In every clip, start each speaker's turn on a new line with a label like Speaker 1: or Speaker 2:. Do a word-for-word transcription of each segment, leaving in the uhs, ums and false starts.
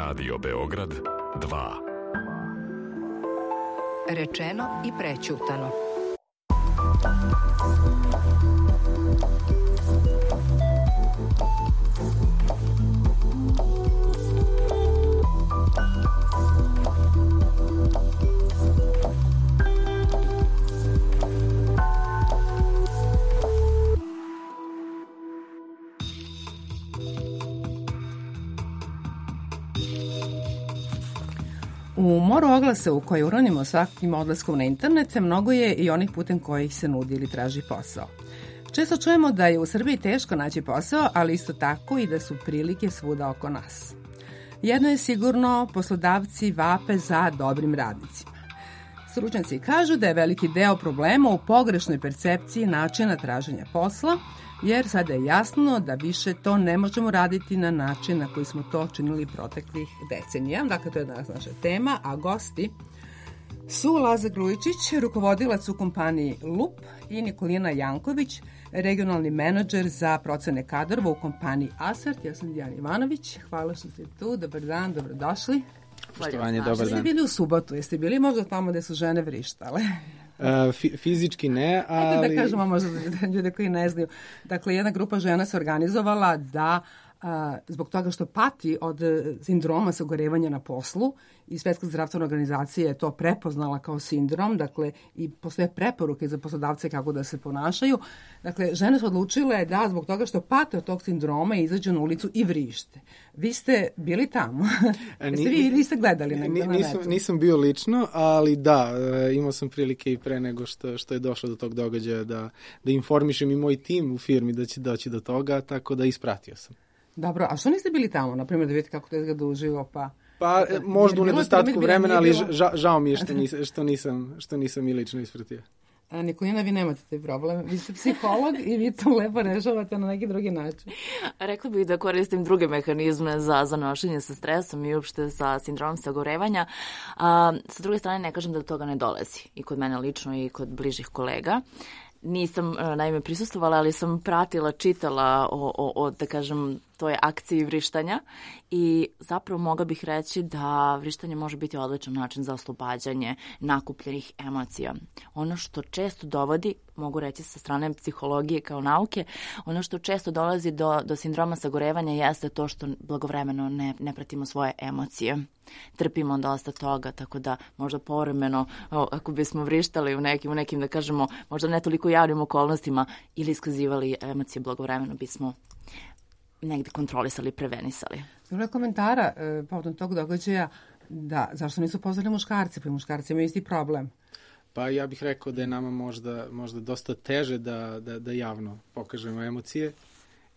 Speaker 1: Radio Beograd dva.
Speaker 2: Rečeno i prećutano.
Speaker 3: U moru oglasa u koje uronimo svakim odlaskom na internet, mnogo je i onih putem kojih se nudi ili traži posao. Često čujemo da je u Srbiji teško naći posao, ali isto tako i da su prilike svuda oko nas. Jedno je sigurno, poslodavci vape za dobrim radnicima. Stručnjaci kažu da je veliki deo problema u pogrešnoj percepciji načina traženja posla, jer sada je jasno da više to ne možemo raditi na način na koji smo to činili proteklih decenija. Dakle, to je danas naša tema, a gosti su Laza Grujičić, rukovodilac u kompaniji Lup, i Nikolina Janković, regionalni menadžer za procene kadrova u kompaniji Asert. Ja sam Dijana Ivanović. Hvala što ste tu. Dobar dan, dobrodošli.
Speaker 4: Poštovanje, dobar dan.
Speaker 3: Jeste bili u subotu? Jeste bili možda tamo gde su žene vrištale?
Speaker 4: Uh, fizički ne, ali...
Speaker 3: Ajde da kažemo možda za ljude koji ne znaju. Dakle, jedna grupa žena se organizovala da a, zbog toga što pati od sindroma sagorevanja na poslu i Svetska zdravstvena organizacija je to prepoznala kao sindrom, dakle i postoje preporuke za poslodavce kako da se ponašaju. Dakle, žene su odlučile da zbog toga što pate od tog sindroma izađu na ulicu i vrište. Vi ste bili tamo? Jeste vi ili ste gledali negdje na
Speaker 4: nisam,
Speaker 3: netu?
Speaker 4: Nisam bio lično, ali da, imao sam prilike i pre nego što, što je došlo do tog događaja da, da informišem i moj tim u firmi da će doći do toga, tako da ispratio sam.
Speaker 3: Dobro, a što niste bili tamo, na primjer, da vidite kako to izgleda uživo, pa...
Speaker 4: Pa možda u nedostatku vremena, ali ža, žao mi je što nisam, što nisam, što nisam i lično ispratio.
Speaker 3: A Nikolina, vi nemate taj problem. Vi ste psiholog i vi to lepo rešavate na neki drugi način.
Speaker 5: Rekla bih da koristim druge mehanizme za, za nošenje sa stresom i uopšte sa sindromom sagorevanja. A, sa druge strane, ne kažem da do toga ne dolazi. I kod mene lično i kod bližih kolega. Nisam, naime, prisustvovala, ali sam pratila, čitala o, o, o da kažem, toj akciji vrištanja i zapravo mogla bih reći da vrištanje može biti odličan način za oslobađanje nakupljenih emocija. Ono što često dovodi, mogu reći sa strane psihologije kao nauke, ono što često dolazi do, do sindroma sagorevanja jeste to što blagovremeno ne, ne pratimo svoje emocije. Trpimo dosta toga, tako da možda povremeno, o, ako bismo vrištali u nekim, u nekim, da kažemo, možda ne toliko javnim okolnostima ili iskazivali emocije blagovremeno, bismo negde kontrolisali, prevenisali.
Speaker 3: Bilo je komentara e, povodom tog događaja da zašto nisu pozvali muškarci, pa i muškarci imaju isti problem.
Speaker 4: Pa ja bih rekao da je nama možda, možda dosta teže da, da, da javno pokažemo emocije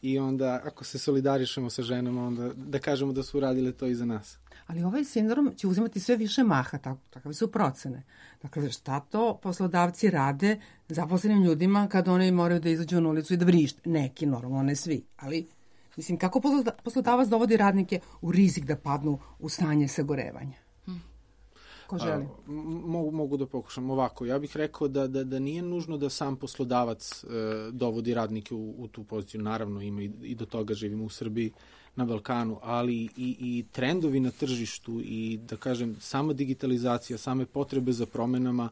Speaker 4: i onda ako se solidarišemo sa ženama, onda da kažemo da su uradile to i za nas.
Speaker 3: Ali ovaj sindrom će uzimati sve više maha, tako, takve su procene. Dakle, šta to poslodavci rade zaposlenim ljudima kada oni moraju da izađu na ulicu i da vrište? Neki, normalno, ne svi, ali... Mislim, kako poslodavac dovodi radnike u rizik da padnu u stanje sagorevanja? Ko želi?
Speaker 4: A, mogu, mogu da pokušam ovako. Ja bih rekao da, da, da nije nužno da sam poslodavac e, dovodi radnike u, u tu poziciju. Naravno, ima i, i do toga živimo u Srbiji, na Balkanu, ali i, i trendovi na tržištu i, da kažem, sama digitalizacija, same potrebe za promenama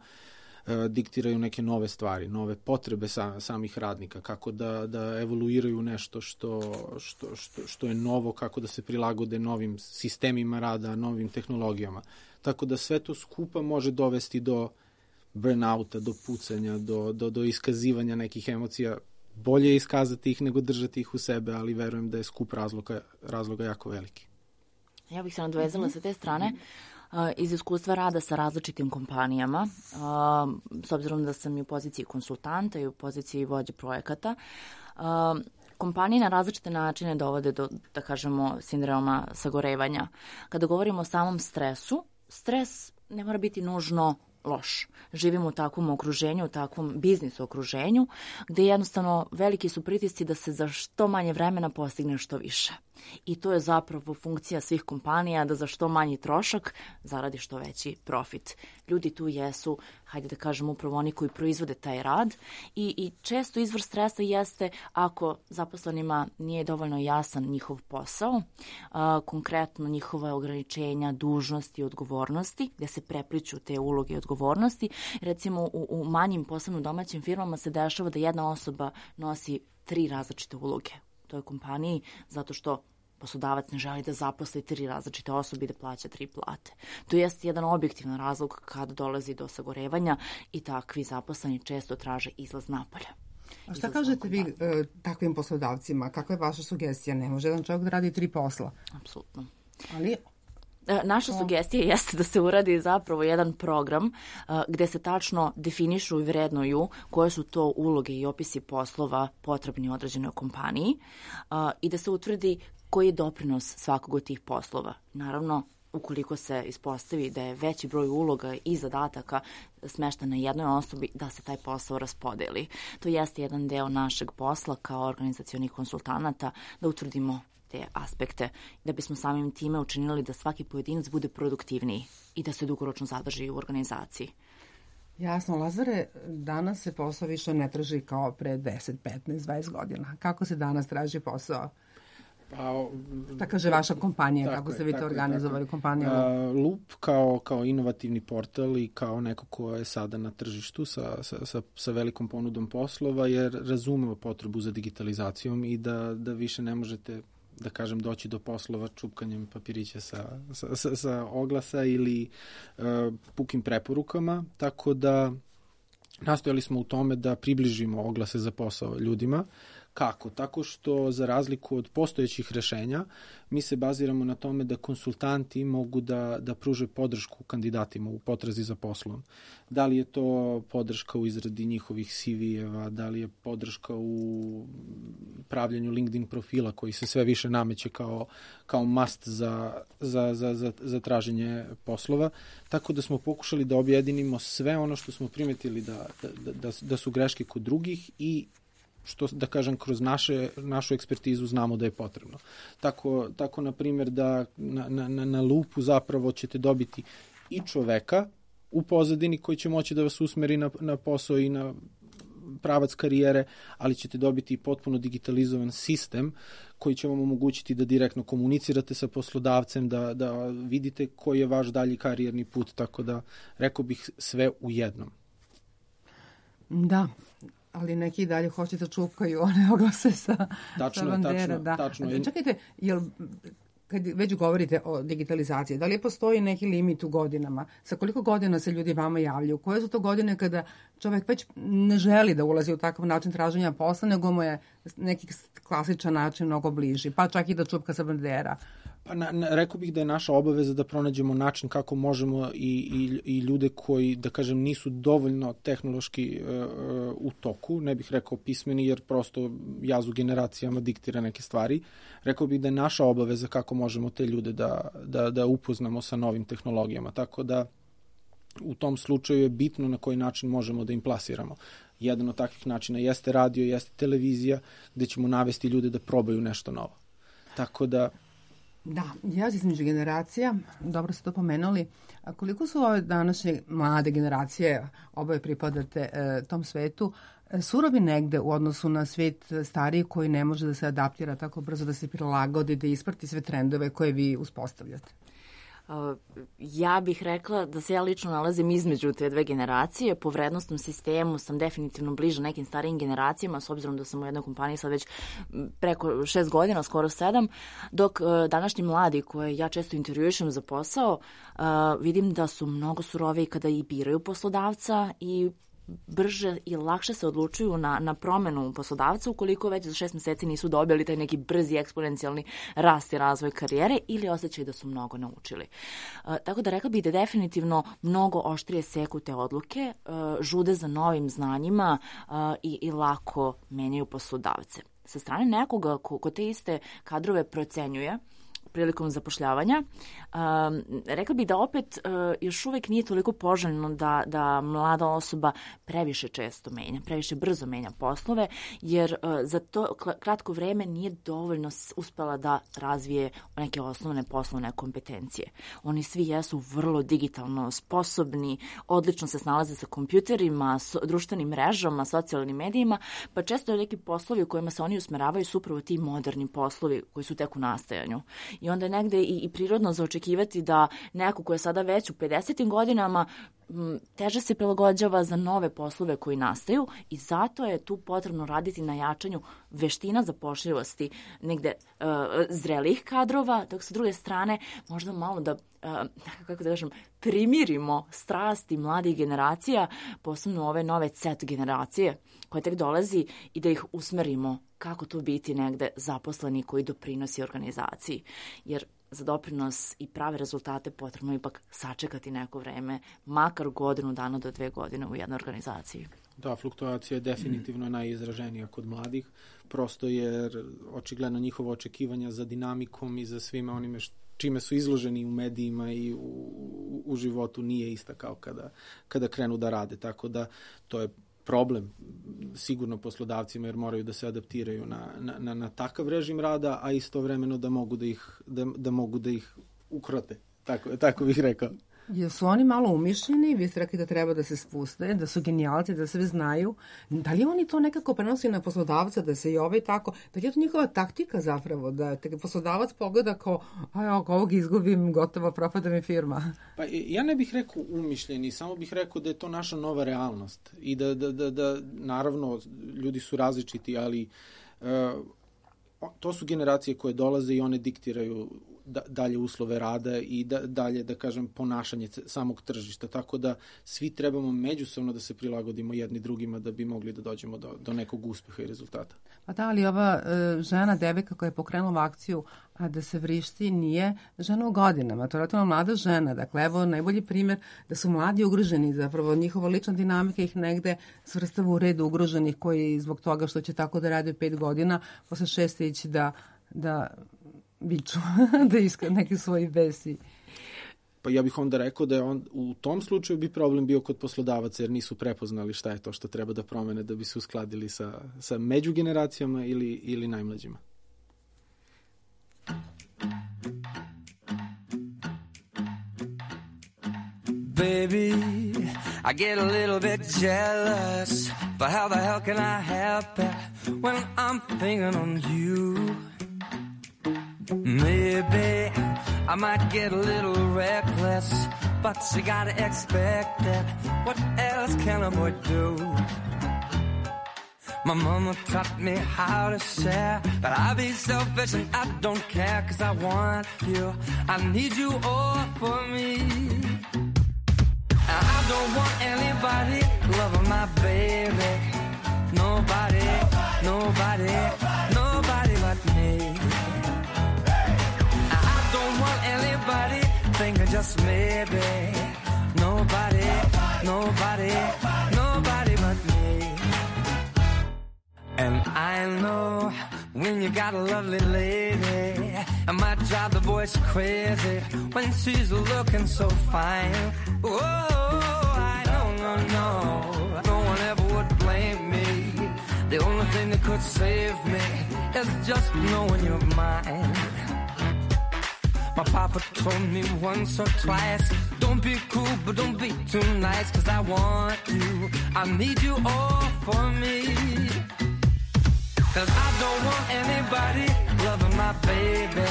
Speaker 4: diktiraju neke nove stvari, nove potrebe sa, samih radnika, kako da, da evoluiraju nešto što, što, što, što je novo, kako da se prilagode novim sistemima rada, novim tehnologijama. Tako da sve to skupa može dovesti do burnouta, do pucanja, do, do, do iskazivanja nekih emocija. Bolje je iskazati ih nego držati ih u sebe, ali verujem da je skup razloga, razloga jako veliki.
Speaker 5: Ja bih se nadvezala sa te strane. Iz iskustva rada sa različitim kompanijama, s obzirom da sam i u poziciji konsultanta i u poziciji vođe projekata, kompanije na različite načine dovode do, da kažemo, sindroma sagorevanja. Kada govorimo o samom stresu, stres ne mora biti nužno loš. Živimo u takvom okruženju, u takvom biznis okruženju, gde jednostavno veliki su pritisci da se za što manje vremena postigne što više. I to je zapravo funkcija svih kompanija da za što manji trošak zaradi što veći profit. Ljudi tu jesu, hajde da kažem, upravo oni koji proizvode taj rad i, i često izvor stresa jeste ako zaposlenima nije dovoljno jasan njihov posao, a, konkretno njihova ograničenja, dužnosti i odgovornosti, gde se prepliću te uloge i odgovornosti. Recimo u, u manjim, posebno domaćim firmama se dešava da jedna osoba nosi tri različite uloge u toj kompaniji, zato što poslodavac ne želi da zaposli tri različite osobe i da plaća tri plate. To jeste jedan objektivan razlog kad dolazi do sagorevanja i takvi zaposleni često traže izlaz napolje.
Speaker 3: A šta kažete vi e, takvim poslodavcima? Kakva je vaša sugestija? Ne može jedan čovjek da radi tri posla.
Speaker 5: Apsolutno.
Speaker 3: Ali
Speaker 5: Naša sugestija jeste da se uradi zapravo jedan program uh, gde se tačno definišu i vrednuju koje su to uloge i opisi poslova potrebni određenoj kompaniji uh, i da se utvrdi koji je doprinos svakog od tih poslova. Naravno, ukoliko se ispostavi da je veći broj uloga i zadataka smešten na jednoj osobi, da se taj posao raspodeli. To jeste jedan deo našeg posla kao organizacionih konsultanata, da utvrdimo te aspekte, da bismo samim time učinili da svaki pojedinac bude produktivniji i da se dugoročno zadrži u organizaciji.
Speaker 3: Jasno, Lazare, danas se posao više ne traži kao pre deset, petnaest, dvadeset godina. Kako se danas traži posao?
Speaker 4: Pa,
Speaker 3: Šta kaže vaša kompanija,
Speaker 4: tako
Speaker 3: kako
Speaker 4: je,
Speaker 3: ste vi to organizovali
Speaker 4: tako.
Speaker 3: kompaniju?
Speaker 4: A, Loop kao, kao inovativni portal i kao neko ko je sada na tržištu sa, sa, sa, sa velikom ponudom poslova jer razumeo potrebu za digitalizacijom i da, da više ne možete, da kažem, doći do poslova čupkanjem papirića sa, sa, sa, sa oglasa ili uh, pukim preporukama, tako da nastojali smo u tome da približimo oglase za posao ljudima. Kako? Tako što, za razliku od postojećih rešenja, mi se baziramo na tome da konsultanti mogu da, da pruže podršku kandidatima u potrazi za poslom. Da li je to podrška u izradi njihovih C V-eva, da li je podrška u pravljenju LinkedIn profila koji se sve više nameće kao, kao must za, za, za, za, za traženje poslova. Tako da smo pokušali da objedinimo sve ono što smo primetili da, da, da, da su greške kod drugih i što, da kažem, kroz naše, našu ekspertizu znamo da je potrebno. Tako, tako na primjer, da na, na, na Loopu zapravo ćete dobiti i čoveka u pozadini koji će moći da vas usmeri na, na posao i na pravac karijere, ali ćete dobiti i potpuno digitalizovan sistem koji će vam omogućiti da direktno komunicirate sa poslodavcem, da, da vidite koji je vaš dalji karijerni put, tako da rekao bih sve u jednom.
Speaker 3: Da, ali neki dalje hoće da čupkaju one oglase sa,
Speaker 4: tačno,
Speaker 3: sa bandera.
Speaker 4: Tačno,
Speaker 3: da.
Speaker 4: tačno.
Speaker 3: Čekajte, jel, kad već govorite o digitalizaciji, da li postoji neki limit u godinama? Sa koliko godina se ljudi vama javljaju? Koje su to godine kada čovek već ne želi da ulazi u takav način traženja posla, nego mu je neki klasičan način mnogo bliži, pa čak i da čupka sa bandera?
Speaker 4: Pa na, na, rekao bih da je naša obaveza da pronađemo način kako možemo i, i, i ljude koji, da kažem, nisu dovoljno tehnološki uh, u toku, ne bih rekao pismeni, jer prosto jaz u generacijama diktira neke stvari. Rekao bih da je naša obaveza kako možemo te ljude da, da, da upoznamo sa novim tehnologijama. Tako da u tom slučaju je bitno na koji način možemo da im plasiramo. Jedan od takvih načina jeste radio, jeste televizija, gde ćemo navesti ljude da probaju nešto novo. Tako da
Speaker 3: Da, jaz između generacija, dobro ste to pomenuli. A koliko su ove današnje mlade generacije, oboje pripadate e, tom svetu, e, surovi negde u odnosu na svet stariji koji ne može da se adaptira tako brzo, da se prilagodi, da isprati sve trendove koje vi uspostavljate?
Speaker 5: Ja bih rekla da se ja lično nalazim između te dve generacije. Po vrednostnom sistemu sam definitivno bliža nekim starijim generacijama, s obzirom da sam u jednoj kompaniji sad već preko šest godina, skoro sedam, dok današnji mladi koje ja često intervjuišem za posao, vidim da su mnogo suroviji kada i biraju poslodavca i brže i lakše se odlučuju na, na promenu poslodavca ukoliko već za šest meseci nisu dobili taj neki brzi eksponencijalni rast i razvoj karijere ili osjećaju da su mnogo naučili. Uh, tako da rekla bih da definitivno mnogo oštrije seku te odluke, uh, žude za novim znanjima uh, i, i lako menjaju poslodavce. Sa strane nekoga ko, ko te iste kadrove procenjuje, prilikom zapošljavanja. Um, rekla bih da opet uh, još uvek nije toliko poželjno da, da mlada osoba previše često menja, previše brzo menja poslove, jer uh, za to kratko vreme nije dovoljno uspela da razvije neke osnovne poslovne kompetencije. Oni svi jesu vrlo digitalno sposobni, odlično se snalaze sa kompjuterima, so, društvenim mrežama, socijalnim medijima, pa često neki poslovi u kojima se oni usmeravaju su upravo ti moderni poslovi koji su tek u nastajanju. I onda je negde i, i prirodno zaočekivati da neko ko je sada već u pedesetim godinama m, teže se prilagođava za nove poslove koji nastaju i zato je tu potrebno raditi na jačanju veština zapošljivosti negde uh, zrelih kadrova, dok sa druge strane možda malo da, uh, kako da kažem, primirimo strasti mladih generacija, posebno ove nove Z generacije koje tek dolazi i da ih usmerimo kako to biti negde zaposleni koji doprinosi organizaciji. Jer za doprinos i prave rezultate potrebno ipak sačekati neko vreme, makar godinu dana do dve godine u jednoj organizaciji.
Speaker 4: Da, fluktuacija je definitivno najizraženija kod mladih, prosto jer očigledno njihova očekivanja za dinamikom i za svime onime što čime su izloženi u medijima i u, u, u životu nije ista kao kada, kada krenu da rade. Tako da to je problem sigurno poslodavcima jer moraju da se adaptiraju na, na, na, na takav režim rada, a istovremeno da mogu da ih, da, da mogu da ih ukrote. Tako, tako bih rekao.
Speaker 3: Jesu oni malo umišljeni? Vi ste rekli da treba da se spuste, da su genijalci, da sve znaju. Da li oni to nekako prenosi na poslodavca, da se i ovaj tako, da li je to njihova taktika zapravo, da te poslodavac pogleda kao, aj, ako ovog izgubim, gotovo propada mi firma?
Speaker 4: Pa ja ne bih rekao umišljeni, samo bih rekao da je to naša nova realnost i da, da, da, da naravno, ljudi su različiti, ali uh, to su generacije koje dolaze i one diktiraju da, dalje uslove rada i da, dalje, da kažem, ponašanje samog tržišta. Tako da svi trebamo međusobno da se prilagodimo jedni drugima da bi mogli da dođemo do, do nekog uspeha i rezultata.
Speaker 3: Pa da, ali ova e, žena, devojka koja je pokrenula akciju a da se vrišti nije žena u godinama. To je relativno mlada žena. Dakle, evo najbolji primjer da su mladi ugroženi. Zapravo njihova lična dinamika ih negde svrstava u red ugroženih koji zbog toga što će tako da rade pet godina, posle šest ići da, da biću, da iska neki svoji besi.
Speaker 4: Pa ja bih onda rekao da je on, u tom slučaju bi problem bio kod poslodavaca jer nisu prepoznali šta je to što treba da promene da bi se uskladili sa, sa međugeneracijama ili, ili najmlađima.
Speaker 6: Baby, I get a little bit jealous, but how the hell can I help it when I'm thinking on you? Maybe I might get a little reckless, but you gotta expect it. What else can a boy do? My mama taught me how to share, but I be selfish and I don't care, 'cause I want you, I need you all for me. I don't want anybody loving my baby. Nobody, nobody, nobody but me. I don't want anybody thinking just maybe. Nobody, nobody, nobody but me. And I know when you got a lovely lady, it might drive the boys crazy when she's looking so fine. Oh, I know, no, no, no one ever would blame me. The only thing that could save me is just knowing you're mine. My papa told me once or twice, don't be cool, but don't be too nice, 'cause I want you, I need you all for me. 'Cause I don't want anybody loving my baby.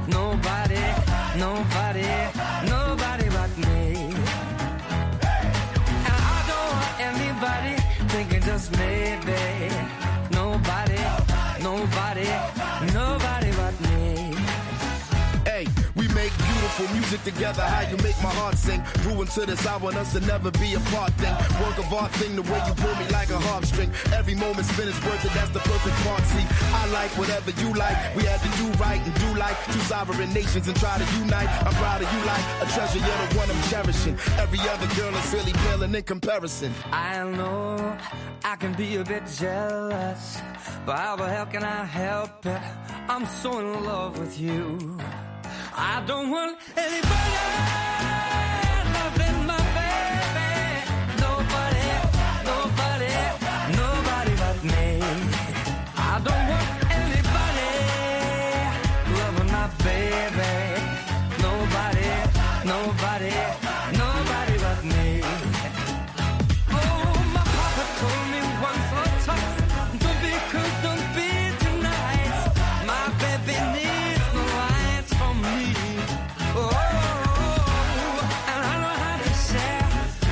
Speaker 6: Nobody, nobody, nobody but me. And I don't want anybody thinking just maybe. Nobody, nobody, nobody but me.
Speaker 7: Hey, we make beautiful beautiful music together, how you make my heart sing. Grew into this, I want us to never be apart thing. Work of art thing, the way you pull me like a harp string. Every moment spent is worth it, that's the perfect part. See, I like whatever you like. We had to do right and do like two sovereign nations and try to unite. I'm proud of you like a treasure, you're the one I'm cherishing. Every other girl is really paling in comparison.
Speaker 6: I know I can be a bit jealous, but how the hell can I help it? I'm so in love with you. I don't want anybody loving my baby. Nobody, nobody, nobody but me. I don't want anybody loving my baby. Nobody, nobody, nobody but me. Oh, my papa told me once or twice, don't be cruel, don't be too nice. My baby needs no lights from me. Oh, and I know how to share,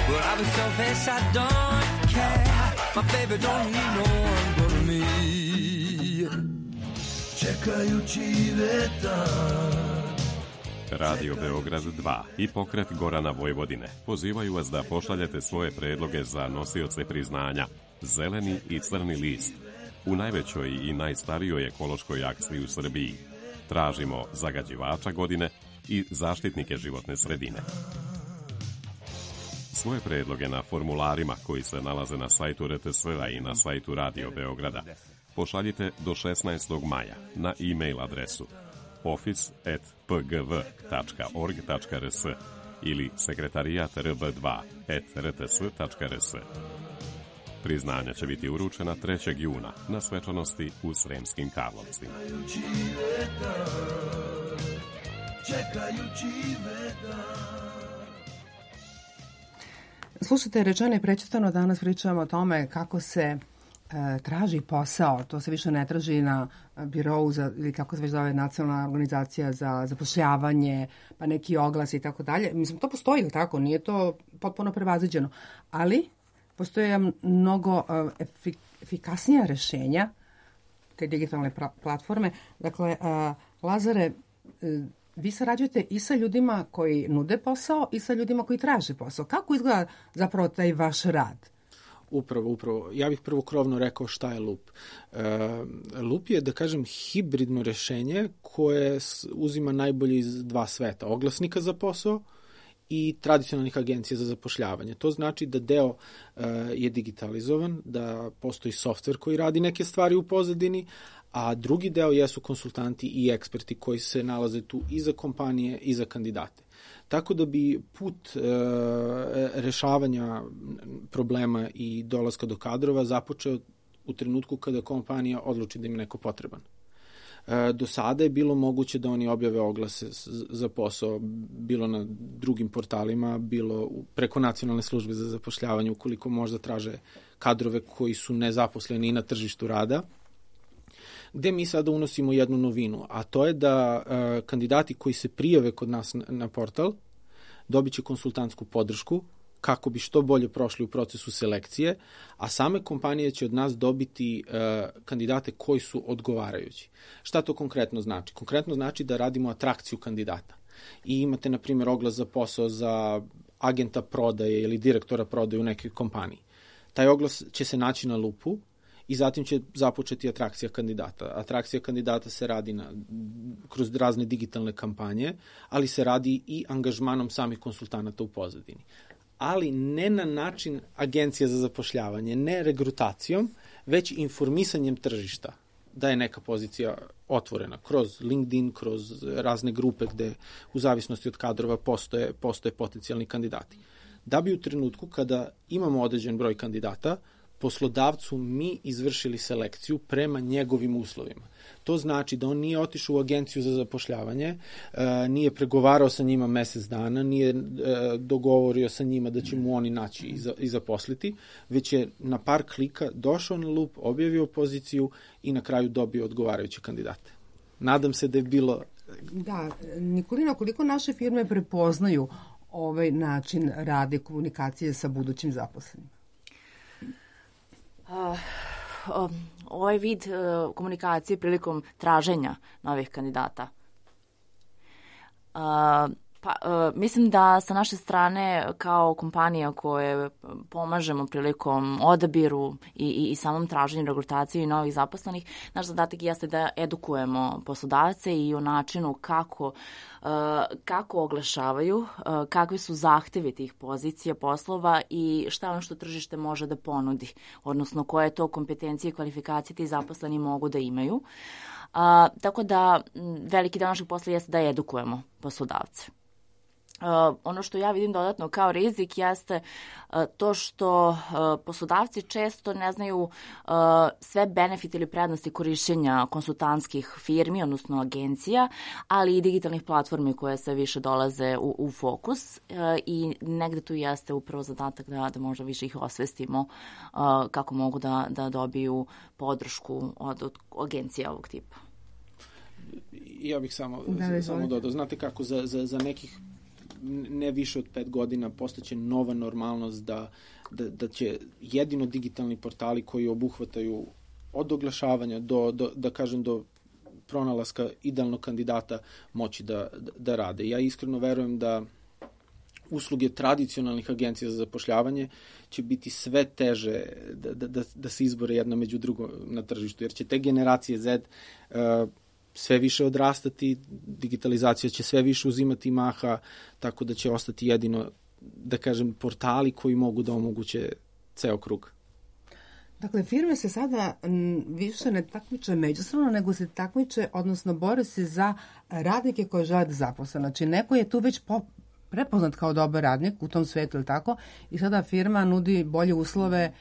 Speaker 6: but I'll be selfish, I don't care. My baby don't need no one but me.
Speaker 7: Čekajući vetar.
Speaker 1: Radio Beograd dva i pokret Gorana Vojvodine pozivaju vas da pošaljete svoje predloge za nosioce priznanja Zeleni i Crni list u najvećoj i najstarijoj ekološkoj akciji u Srbiji. Tražimo zagađivača godine i zaštitnike životne sredine. Svoje predloge na formularima koji se nalaze na sajtu R T S-a i na sajtu Radio Beograda pošaljite do šesnaestog maja na e-mail adresu office at p g v tačka org tačka r s ili sekretarijat r b dva at r t s tačka r s. Priznanja će biti uručena trećeg juna na svečanosti u Sremskim Karlovcima.
Speaker 3: Slušajte, rečeno i prećutano, danas pričamo o tome kako se e, traži posao. To se više ne traži na birou za, ili kako se već zove, nacionalna organizacija za zapošljavanje, pa neki oglas i tako dalje. Mislim, to postoji, tako? Nije to potpuno prevaziđeno. Ali postoje mnogo e, efik, efikasnija rešenja, te digitalne pra, platforme. Dakle, e, Lazare, e, vi sarađujete i sa ljudima koji nude posao i sa ljudima koji traže posao. Kako izgleda zapravo taj vaš rad?
Speaker 4: Upravo, upravo. Ja bih prvo krovno rekao šta je Lup. Uh, Lup je, da kažem, hibridno rešenje koje uzima najbolje iz dva sveta. Oglasnika za posao i tradicionalnih agencija za zapošljavanje. To znači da deo uh, je digitalizovan, da postoji softver koji radi neke stvari u pozadini, a drugi deo jesu konsultanti i eksperti koji se nalaze tu i za kompanije i za kandidate. Tako da bi put e, rešavanja problema i dolaska do kadrova započeo u trenutku kada kompanija odluči da im neko potreban. E, do sada je bilo moguće da oni objave oglase za posao, bilo na drugim portalima, bilo preko nacionalne službe za zapošljavanje, ukoliko možda traže kadrove koji su nezaposleni i na tržištu rada, gde mi sada unosimo jednu novinu, a to je da e, kandidati koji se prijave kod nas na, na portal dobit će konsultantsku podršku kako bi što bolje prošli u procesu selekcije, a same kompanije će od nas dobiti e, kandidate koji su odgovarajući. Šta to konkretno znači? Konkretno znači da radimo atrakciju kandidata. I imate, na primjer, oglas za posao za agenta prodaje ili direktora prodaje u nekoj kompaniji. Taj oglas će se naći na Lupu i zatim će započeti atrakcija kandidata. Atrakcija kandidata se radi na, kroz razne digitalne kampanje, ali se radi i angažmanom samih konsultanata u pozadini. Ali ne na način agencija za zapošljavanje, ne regrutacijom, već informisanjem tržišta da je neka pozicija otvorena kroz LinkedIn, kroz razne grupe gde u zavisnosti od kadrova postoje, postoje potencijalni kandidati. Da bi u trenutku kada imamo određen broj kandidata, poslodavcu mi izvršili selekciju prema njegovim uslovima. To znači da on nije otišao u agenciju za zapošljavanje, nije pregovarao sa njima mesec dana, nije dogovorio sa njima da će mu oni naći i zaposliti, već je na par klika došao na Lup, objavio poziciju i na kraju dobio odgovarajuće kandidate. Nadam se da je bilo...
Speaker 3: Da, Nikolina, koliko naše firme prepoznaju ovaj način rada i komunikacije sa budućim zaposlenima?
Speaker 5: Uh, ovaj vid uh, komunikacije prilikom traženja novih kandidata. Uh, Pa, uh, mislim da sa naše strane kao kompanija koje pomažemo prilikom odabiru i, i, i samom traženju regrutacije i novih zaposlenih, naš zadatak jeste da edukujemo poslodavce i o načinu kako, uh, kako oglašavaju, uh, kakvi su zahtevi tih pozicija, poslova i šta ono što tržište može da ponudi, odnosno koje to kompetencije i kvalifikacije ti zaposleni mogu da imaju. A, tako da veliki deo našeg posla jeste da edukujemo poslodavce. Uh, ono što ja vidim dodatno kao rizik jeste uh, to što uh, poslodavci često ne znaju uh, sve benefite ili prednosti korišćenja konsultantskih firmi, odnosno agencija, ali i digitalnih platformi koje sve više dolaze u, u fokus uh, i negde tu jeste upravo zadatak da, da možda više ih osvestimo uh, kako mogu da, da dobiju podršku od, od agencija ovog tipa.
Speaker 4: Ja bih samo,
Speaker 3: da,
Speaker 4: samo dodao. Znate kako za, za, za nekih ne više od pet godina postaće nova normalnost da, da, da će jedino digitalni portali koji obuhvataju od oglašavanja do, do da kažem, do pronalaska idealnog kandidata moći da, da, da rade. Ja iskreno verujem da usluge tradicionalnih agencija za zapošljavanje će biti sve teže da, da, da, da se izbore jedna među drugom na tržištu, jer će te generacije Z uh, sve više odrastati, digitalizacija će sve više uzimati maha, tako da će ostati jedino, da kažem, portali koji mogu da omoguće ceo krug.
Speaker 3: Dakle, firme se sada m, više ne takmiče međusobno, nego se takmiče, odnosno bore se za radnike koje žele da zaposle. Znači, neko je tu već po, prepoznat kao dobar radnik u tom svetu, ili tako, i sada firma nudi bolje uslove.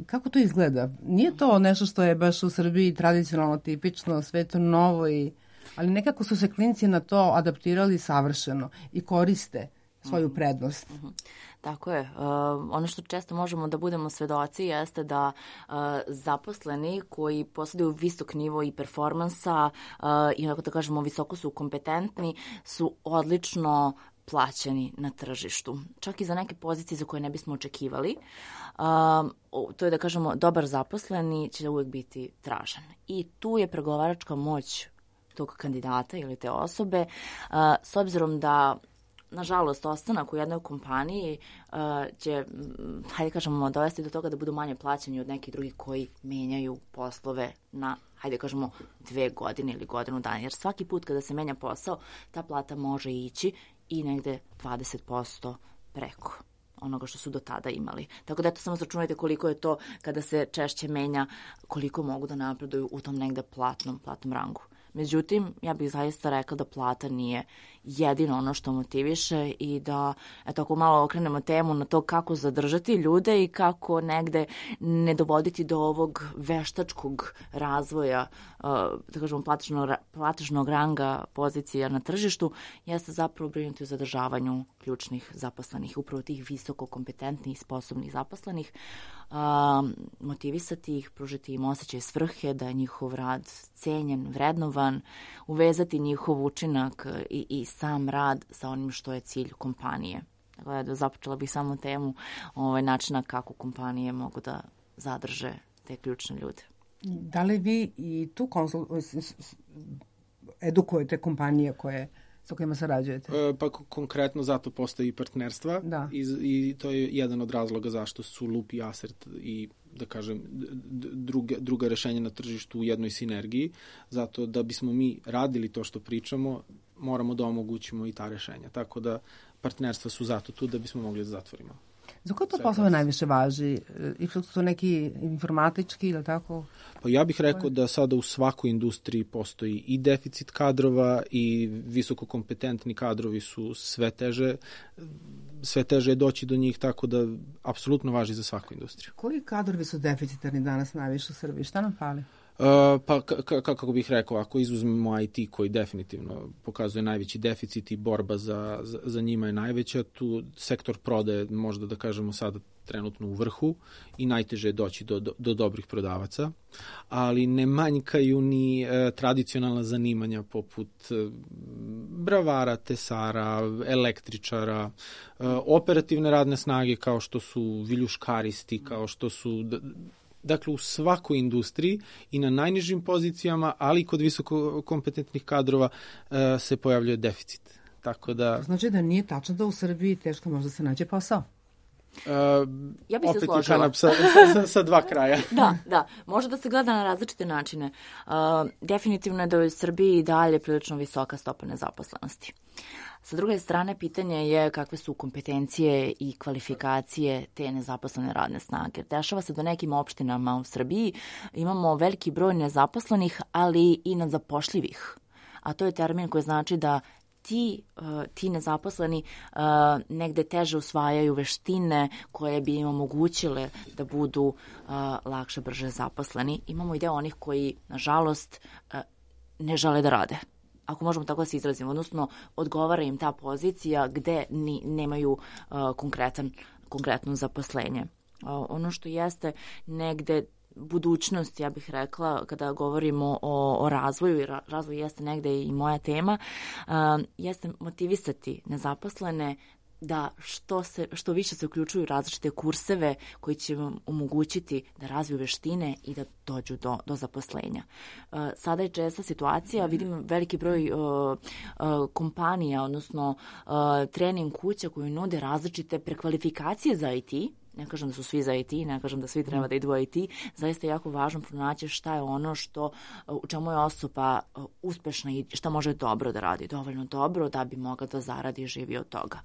Speaker 3: Kako to izgleda? Nije to nešto što je baš u Srbiji tradicionalno, tipično, sve to novo, i, ali nekako su se klinci na to adaptirali savršeno i koriste svoju prednost.
Speaker 5: Mm-hmm. Tako je. Uh, ono što često možemo da budemo svedoci jeste da uh, zaposleni koji posjeduju visok nivo i performansa uh, i onako da kažemo visoko su kompetentni, su odlično plaćeni na tržištu. Čak i za neke pozicije za koje ne bismo očekivali. Um, to je da kažemo dobar zaposleni će uvijek biti tražen. I tu je pregovaračka moć tog kandidata ili te osobe uh, s obzirom da nažalost, ostanak u jednoj kompaniji uh, će, hajde kažemo, dovesti do toga da budu manje plaćeni od nekih drugih koji menjaju poslove na, hajde kažemo, dve godine ili godinu dana. Jer svaki put kada se menja posao, ta plata može ići i negde dvadeset posto preko onoga što su do tada imali. Tako da eto samo sračunajte koliko je to kada se češće menja, koliko mogu da napreduju u tom negde platnom, platnom rangu. Međutim, ja bih zaista rekla da plata nije jedino ono što motiviše i da, eto, ako malo okrenemo temu na to kako zadržati ljude i kako negde ne dovoditi do ovog veštačkog razvoja, da kažemo, platežnog, platežnog ranga pozicija na tržištu, jeste zapravo brinuti o zadržavanju ključnih zaposlenih, upravo tih visoko kompetentnih i sposobnih zaposlenih, Um, motivisati ih, pružiti im osjećaj svrhe, da je njihov rad cenjen, vrednovan, uvezati njihov učinak i, i sam rad sa onim što je cilj kompanije. Dakle, da započela bih samo temu ovaj, načina kako kompanije mogu da zadrže te ključne ljude.
Speaker 3: Da li vi i tu konsul... edukujete kompanije koje sa kojima sarađujete?
Speaker 4: E, pa konkretno zato postoji i partnerstva
Speaker 3: da.
Speaker 4: I, i to je jedan od razloga zašto su Loop i Asert i, da kažem, druga, druga rešenja na tržištu u jednoj sinergiji, zato da bismo mi radili to što pričamo, moramo da omogućimo i ta rešenja. Tako da partnerstva su zato tu da bismo mogli da zatvorimo.
Speaker 3: Za koje to poslove najviše važi? I što su to neki informatički ili tako?
Speaker 4: Pa ja bih rekao da sada u svakoj industriji postoji i deficit kadrova i visoko kompetentni kadrovi su sve teže, sve teže je doći do njih, tako da apsolutno važi za svaku industriju.
Speaker 3: Koji kadrovi su deficitarni danas najviše u Srbiji? Šta nam fali?
Speaker 4: Uh, pa k- k- kako bih rekao, ako izuzmemo I T koji definitivno pokazuje najveći deficit i borba za, za, za njima je najveća, tu sektor prodaje možda da kažemo sada trenutno u vrhu i najteže je doći do, do, do dobrih prodavaca, ali ne manjkaju ni e, tradicionalna zanimanja poput e, bravara, tesara, električara, e, operativne radne snage kao što su viljuškaristi, kao što su... D- Dakle, u svakoj industriji i na najnižim pozicijama, ali i kod visoko kompetentnih kadrova se pojavljuje deficit. Tako da...
Speaker 3: To znači da nije tačno da u Srbiji teško možda se nađe posao?
Speaker 4: Uh,
Speaker 5: Ja bih se
Speaker 4: opet
Speaker 5: složila.
Speaker 4: je kanap sa, sa, sa dva kraja.
Speaker 5: Da, da. Može da se gleda na različite načine. Uh, definitivno je da je u Srbiji i dalje prilično visoka stopa nezaposlenosti. Sa druge strane, pitanje je kakve su kompetencije i kvalifikacije te nezaposlene radne snage. Dešava se da nekim opštinama u Srbiji imamo veliki broj nezaposlenih, ali i nezapošljivih. A to je termin koji znači da ti, uh, ti nezaposleni uh, negde teže usvajaju veštine koje bi im omogućile da budu uh, lakše, brže zaposleni. Imamo i deo onih koji, nažalost, uh, ne žele da rade. Ako možemo tako da se izrazimo, odnosno odgovara im ta pozicija gde ni, nemaju uh, konkretan, konkretno zaposlenje. Uh, ono što jeste negde budućnost, ja bih rekla, kada govorimo o, o razvoju, i razvoj jeste negde i moja tema, uh, jeste motivisati nezaposlene da što, se, što više se uključuju različite kurseve koji će vam omogućiti da razviju veštine i da dođu do, do zaposlenja. Uh, sada je česta situacija, vidim veliki broj uh, uh, kompanija, odnosno uh, trening kuća koji nude različite prekvalifikacije za I T. Ne kažem da su svi za I T, ne kažem da svi treba da idu u I T, zaista je jako važno pronaći šta je ono što, u čemu je osoba uspešna i šta može dobro da radi, dovoljno dobro da bi mogla da zaradi i živi od toga.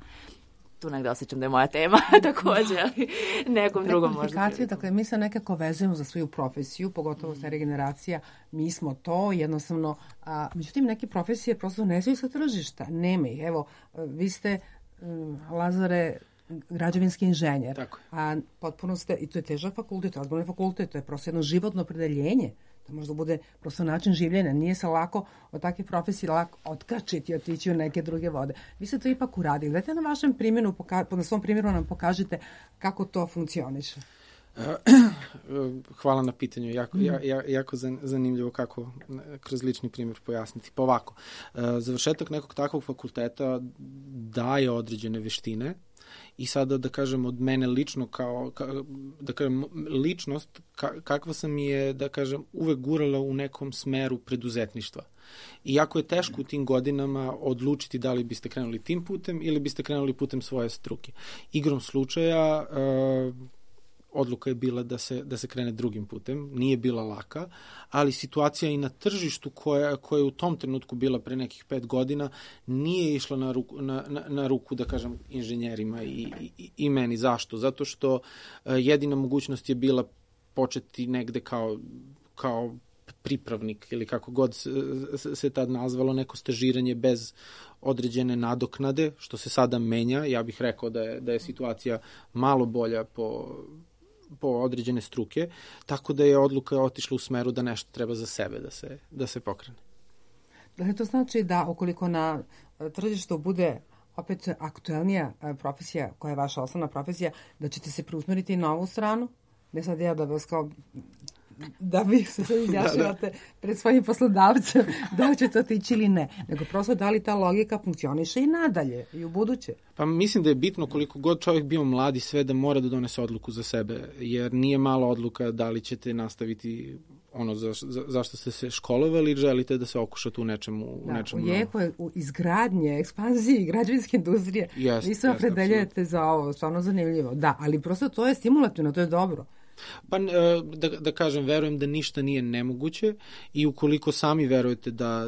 Speaker 5: Tu negde osjećam da je moja tema takođe, ali nekom drugom možda.
Speaker 3: Dakle, mi se nekako vezujemo za svoju profesiju, pogotovo mm. starija generacija, mi smo to, jednostavno, a, međutim, neke profesije prosto ne znaju sa tržišta, nema ih. Evo, vi ste, um, Lazare, građevinski inženjer,
Speaker 4: Tako.
Speaker 3: a potpuno ste, i to je težak fakultet, to je ozbiljni fakultet, to je prosto jedno životno opredeljenje, to možda bude prosto način življenja, nije se lako od takve profesije lako otkačiti i otići u neke druge vode. Vi ste to ipak uradili. Dajte na vašem primjeru, na svom primjeru nam pokažite kako to funkcioniše.
Speaker 4: Hvala na pitanju, jako, ja, jako zanimljivo kako kroz lični primjer pojasniti. Pa ovako, završetak nekog takvog fakulteta daje određene veštine i sada da kažem od mene lično kao, ka, da kažem ličnost ka, kakva sam je da kažem uvek gurala u nekom smeru preduzetništva. I jako je teško u tim godinama odlučiti da li biste krenuli tim putem ili biste krenuli putem svoje struke. Igrom slučaja uh, odluka je bila da se, da se krene drugim putem, nije bila laka, ali situacija i na tržištu koja, koja je u tom trenutku bila pre nekih pet godina nije išla na ruku, na, na, na ruku da kažem, inženjerima i, i, i meni. Zašto? Zato što uh, jedina mogućnost je bila početi negde kao, kao pripravnik ili kako god se, se tad nazvalo, neko stažiranje bez određene nadoknade, što se sada menja. Ja bih rekao da je, da je situacija malo bolja po po određene struke, tako da je odluka otišla u smeru da nešto treba za sebe da se, da se pokrene.
Speaker 3: Da to znači da ukoliko na tržištu bude opet aktuelnija profesija, koja je vaša osnovna profesija, da ćete se preusmeriti na ovu stranu? Ne sad ja da vas kao da vi se sad izjašnjavate da, da. pred svojim poslodavcem da li ćete otići ili ne, nego prosto da li ta logika funkcioniše i nadalje i u buduće.
Speaker 4: Pa mislim da je bitno koliko god čovjek bio mlad i sve da mora da donese odluku za sebe, jer nije mala odluka da li ćete nastaviti ono za, za, zašto ste se školovali ili želite da se okušate u nečemu,
Speaker 3: da,
Speaker 4: u nečemu
Speaker 3: u jeku je u izgradnje, ekspanziji građevinske industrije.
Speaker 4: Jest,
Speaker 3: vi se opredeljujete za ovo, stvarno zanimljivo. Da, ali prosto to je stimulativno, to je dobro.
Speaker 4: Pa da, da kažem, verujem da ništa nije nemoguće i ukoliko sami verujete da,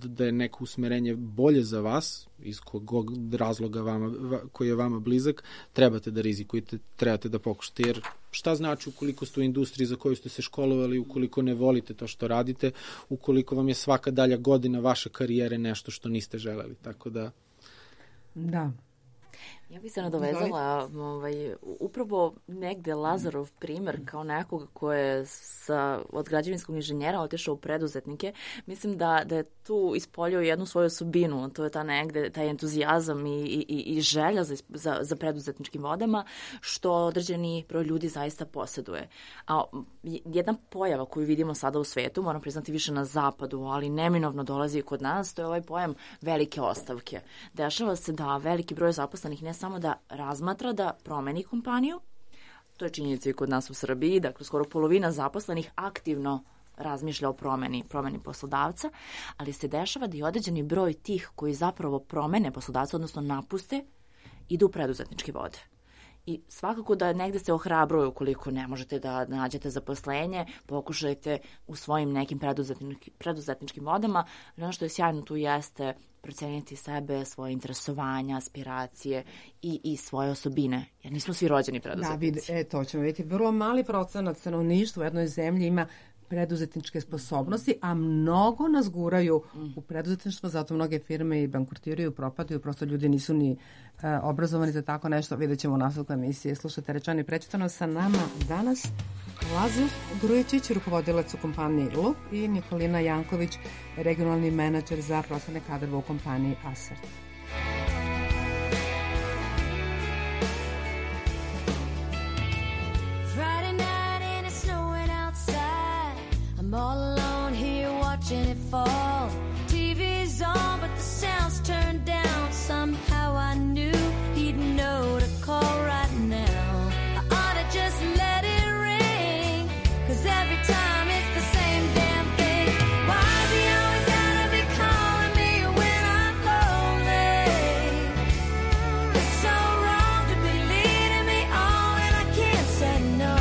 Speaker 4: da je neko usmerenje bolje za vas, iz kog razloga vama, koji je vama blizak, trebate da rizikujete, trebate da pokušate, jer šta znači ukoliko ste u industriji za koju ste se školovali, ukoliko ne volite to što radite, ukoliko vam je svaka dalja godina vaše karijere nešto što niste želeli, tako da...
Speaker 3: Da.
Speaker 5: Ja bih se nadovezala ovaj, upravo negde Lazarov primer kao nekoga ko je sa, od građevinskog inženjera otišao u preduzetnike. Mislim da, da je tu ispoljio jednu svoju osobinu, to je ta negde, taj entuzijazam i, i, i želja za, za, za preduzetničkim vodama, što određeni broj ljudi zaista posjeduje. A jedna pojava koju vidimo sada u svetu, moram priznati više na zapadu, ali neminovno dolazi i kod nas, to je ovaj pojam velike ostavke. Dešava se da veliki broj zaposlenih ne samo da razmatra da promeni kompaniju, to je činjenica i kod nas u Srbiji, dakle skoro polovina zaposlenih aktivno razmišlja o promeni, promeni poslodavca, ali se dešava da i određeni broj tih koji zapravo promene poslodavca, odnosno napuste, idu u preduzetnički vode. I svakako da negde se ohrabruju ukoliko ne možete da nađete zaposlenje, pokušajte u svojim nekim preduzetničkim, preduzetničkim vodama. Ono što je sjajno tu jeste proceniti sebe, svoje interesovanja, aspiracije i, i svoje osobine, jer nismo svi rođeni preduzetnici.
Speaker 3: Da, vid, e, to ćemo vidjeti. Vrlo mali procenat stanovništva u jednoj zemlji ima preduzetničke sposobnosti, a mnogo nas guraju u preduzetništvo, zato mnoge firme i bankrotiraju, propadaju, prosto ljudi nisu ni uh, obrazovani za tako nešto. Vidjet ćemo u nastavku emisije. Slušajte Rečeno i prećutano, sa nama danas Lazar Grujičić, rukovodilac u kompaniji Lup, i Nikolina Janković, regionalni menadžer za prostorne kadrove u kompaniji Asert.
Speaker 8: I'm all alone here watching it fall. T V's on, but the sound's turned down. Somehow I knew he'd know to call right now. I ought to just let it ring, 'cause every time it's the same damn thing. Why's he always gotta be calling me when I'm lonely? It's so wrong to be leading me on and I can't say no.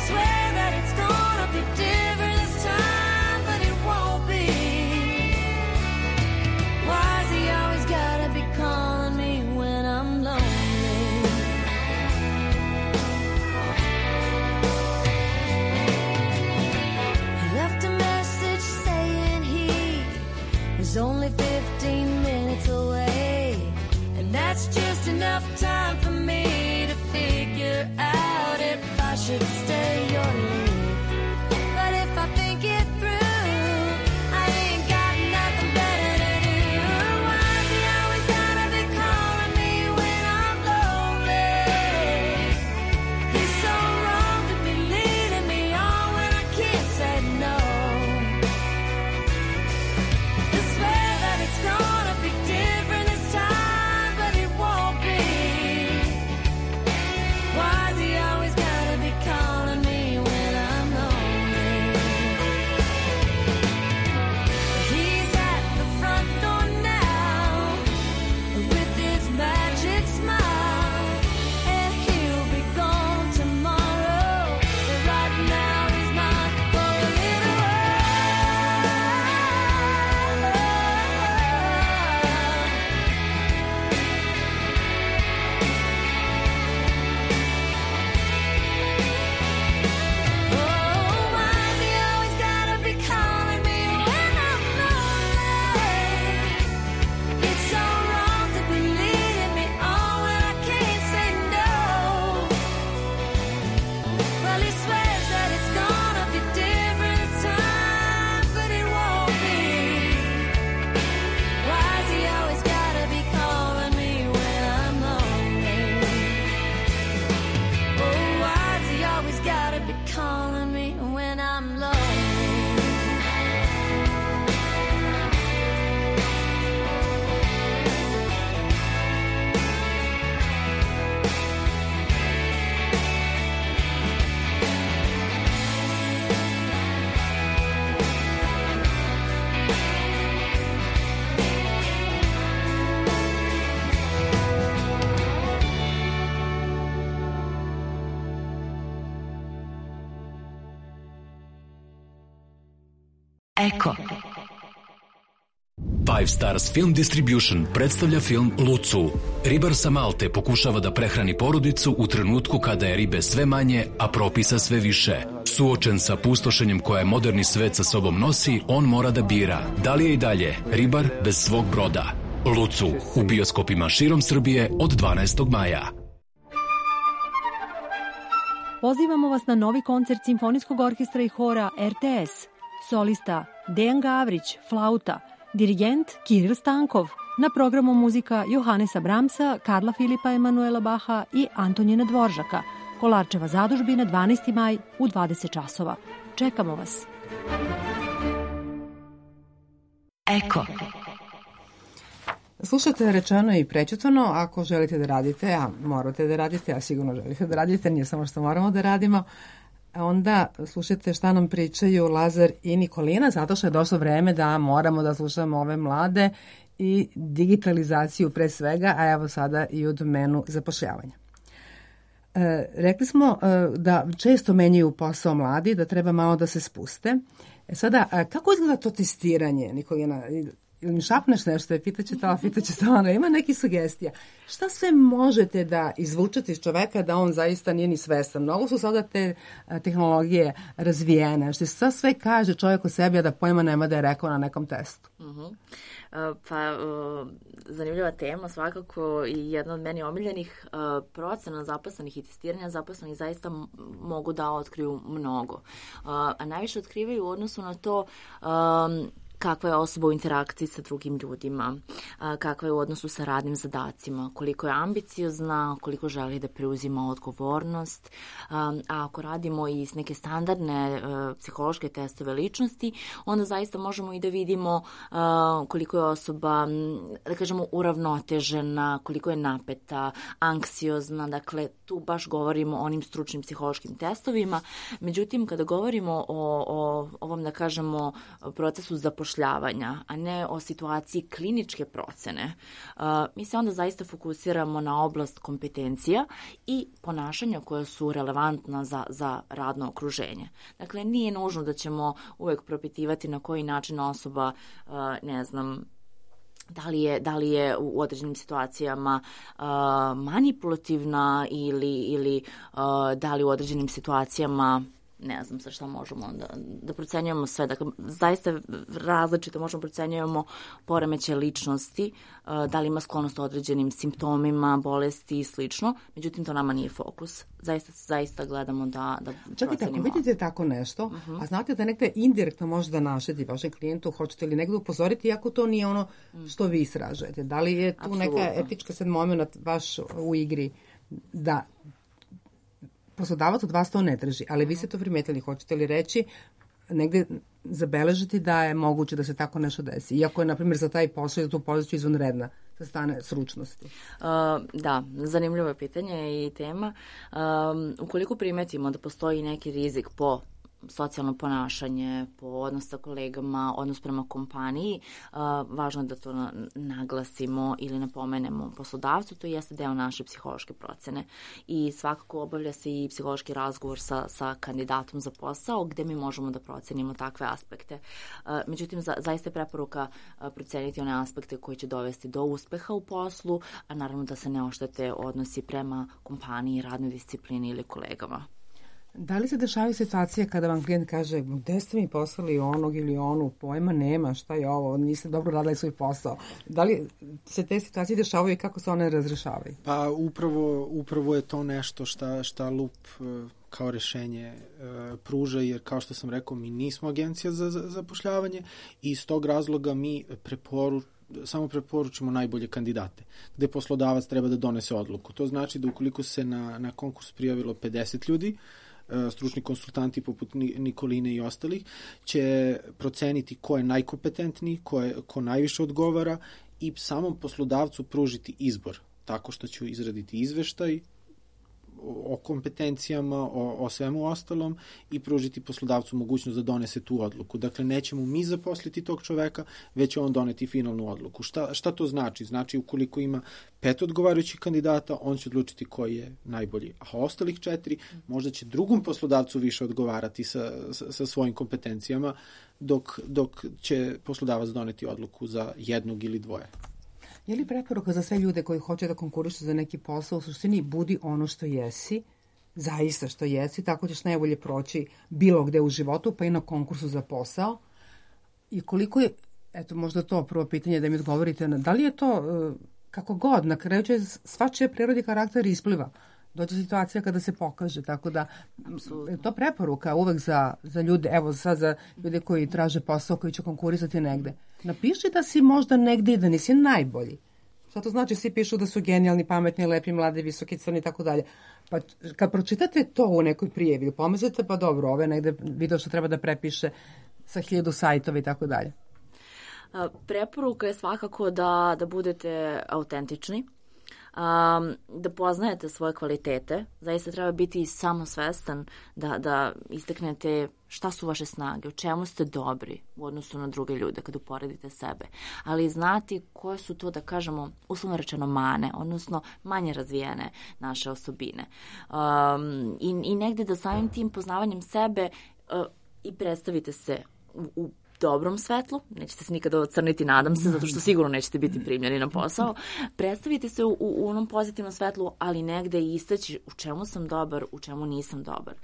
Speaker 8: Swear that it's gonna be different this time, but it won't be. Why's he always gotta be calling me when I'm lonely? He left a message saying he was only fifteen minutes away, and that's just enough time for me to figure out if I should stay or leave. But if I think it through, I ain't got nothing better to do. Why's he always gotta be calling me when I'm lonely? He's so wrong to be leading me on when I can't say no. I swear that it's gonna be different this time, but it won't be. Why's he always gotta be calling me when I'm lonely? He's at the front door now with his magic smile, and he'll be gone tomorrow. But right now he's mine for a little
Speaker 9: Eko. Five Stars Film Distribution predstavlja film Lucu. Ribar sa Malte pokušava da prehrani porodicu u trenutku kada je ribe sve manje, a propisa sve više. Suočen sa pustošenjem koje moderni svet sa sobom nosi, on mora da bira da li je i dalje ribar bez svog broda. Lucu u bioskopima širom Srbije od dvanaestog maja.
Speaker 10: Pozivamo vas na novi koncert Simfonijskog orkestra i hora R T S. Solista Dejan Gavrić, flauta, dirigent Kiril Stankov, na programu muzika Johanesa Brahmsa, Karla Filipa Emanuela Baha i Antonina Dvoržaka. Kolarčeva zadužbina dvanaesti maj u dvadeset časova. Čekamo vas.
Speaker 9: Eko.
Speaker 3: Slušate Rečeno i prećutano. Ako želite da radite, a morate da radite, a sigurno želite da radite, nije samo što moramo da radimo, A onda slušajte šta nam pričaju Lazar i Nikolina, zato što je došlo vreme da moramo da slušamo ove mlade i digitalizaciju pre svega, a evo sada i u domenu zapošljavanja. E, rekli smo e, da često menjaju posao mladi, da treba malo da se spuste. E sada, a kako izgleda to testiranje, Nikolina? Ili mi šapneš nešto, je pitaće to, pitaće to, ono, ima neki sugestija. Šta sve možete da izvučete iz čoveka da on zaista nije ni svestan? Mnogo su sada te a, tehnologije razvijene, što se sve kaže čovjek o sebi, a da pojma nema da je rekao na nekom testu.
Speaker 5: Uh-huh. Uh, pa, uh, zanimljiva tema, svakako i jedna od meni omiljenih uh, procena zaposlenih i testiranja zaposlenih zaista m- mogu da otkriju mnogo. Uh, a najviše otkrivaju u odnosu na to um, kakva je osoba u interakciji sa drugim ljudima, kakva je u odnosu sa radnim zadacima, koliko je ambiciozna, koliko želi da preuzima odgovornost. A ako radimo i s neke standardne psihološke testove ličnosti, onda zaista možemo i da vidimo koliko je osoba, da kažemo, uravnotežena, koliko je napeta, anksiozna, dakle tu baš govorimo o onim stručnim psihološkim testovima. Međutim, kada govorimo o, o ovom, da kažemo, procesu zapošljavanja, a ne o situaciji kliničke procene, uh, mi se onda zaista fokusiramo na oblast kompetencija i ponašanja koja su relevantna za, za radno okruženje. Dakle, nije nužno da ćemo uvek propitivati na koji način osoba, uh, ne znam, da li je, da li je u određenim situacijama uh, manipulativna ili, ili uh, da li u određenim situacijama ne znam sa šta možemo da, da procenjujemo sve. Dakle, zaista različito možemo procenjujemo poremećaje ličnosti, da li ima sklonost određenim simptomima, bolesti i slično. Međutim, to nama nije fokus. Zaista, zaista gledamo da, da
Speaker 3: Čekajte,
Speaker 5: procenimo.
Speaker 3: ako vidite tako nešto, uh-huh. a znate da negde indirektno može da našeti vašem klijentu, hoćete li negde upozoriti, iako to nije ono što vi istražujete. Da li je tu Absolutno. Neka etička sad moment vaš u igri da poslodavac od vas to ne traži, ali vi ste to primetili, hoćete li reći, negde zabeležiti da je moguće da se tako nešto desi, iako je, na primjer, za taj posao i za tu poziciju izvanredna sa strane sručnosti?
Speaker 5: Uh, da, zanimljivo je pitanje i tema. Um, ukoliko primetimo da postoji neki rizik po socijalno ponašanje, po odnos sa kolegama, odnos prema kompaniji, uh, važno je da to naglasimo ili napomenemo poslodavcu, to jeste deo naše psihološke procene. I svakako obavlja se i psihološki razgovor sa, sa kandidatom za posao, gde mi možemo da procenimo takve aspekte. Uh, međutim, za, zaista je preporuka uh, proceniti one aspekte koji će dovesti do uspeha u poslu, a naravno da se ne oštete odnosi prema kompaniji, radnoj disciplini ili kolegama.
Speaker 3: Da li se dešavaju situacije kada vam klijent kaže gde ste mi poslali onog ili onu, pojma nema, šta je ovo, niste dobro radili svoj posao. Da li se te situacije dešavaju i kako se one razrešavaju?
Speaker 4: Pa upravo, upravo je to nešto šta, šta Lup kao rešenje pruža, jer kao što sam rekao, mi nismo agencija za zapošljavanje i iz tog razloga mi preporu, samo preporučimo najbolje kandidate, gde poslodavac treba da donese odluku. To znači da ukoliko se na, na konkurs prijavilo pedeset ljudi, stručni konsultanti poput Nikoline i ostalih, će proceniti ko je najkompetentniji, ko, je, ko najviše odgovara i samom poslodavcu pružiti izbor, tako što će izraditi izveštaj o kompetencijama, o, o svemu ostalom i pružiti poslodavcu mogućnost da donese tu odluku. Dakle, nećemo mi zaposliti tog čoveka, već će on doneti finalnu odluku. Šta, šta to znači? Znači, ukoliko ima pet odgovarajućih kandidata, on će odlučiti koji je najbolji. A ostalih četiri možda će drugom poslodavcu više odgovarati sa, sa, sa svojim kompetencijama, dok, dok će poslodavac doneti odluku za jednog ili dvoje.
Speaker 3: Je li preporuka za sve ljude koji hoće da konkurišu za neki posao, u suštini budi ono što jesi, zaista što jesi, tako ćeš najbolje proći bilo gde u životu, pa i na konkursu za posao. I koliko je, eto možda to prvo pitanje da mi odgovorite, da li je to kako god, na kraju će svačije prirodi karakter ispliva. Dođe situacija kada se pokaže, tako da je to preporuka uvek za, za ljude, evo sad za ljude koji traže posao, koji će konkurisati negde. Napiši da si možda negde i da nisi najbolji. Šta to znači? Svi pišu da su genijalni, pametni, lepi, mladi, visoki, crni i tako dalje. Pa kad pročitate to u nekoj prijevi, pomislite pa dobro, ove negde video što treba da prepiše sa hiljadu sajtova i tako dalje. Preporuka
Speaker 5: je svakako da, da budete autentični. um, da poznajete svoje kvalitete, zaista treba biti samosvestan da, da istaknete šta su vaše snage, u čemu ste dobri u odnosu na druge ljude kad uporedite sebe, ali znati koje su to, da kažemo, uslovno rečeno mane, odnosno manje razvijene naše osobine. Um, i, I negde da samim tim poznavanjem sebe uh, i predstavite se u, u dobrom svetlu, nećete se nikada ocrniti, nadam se, zato što sigurno nećete biti primljeni na posao, predstavite se u, u onom pozitivnom svetlu, ali negde i istaći u čemu sam dobar, u čemu nisam dobar.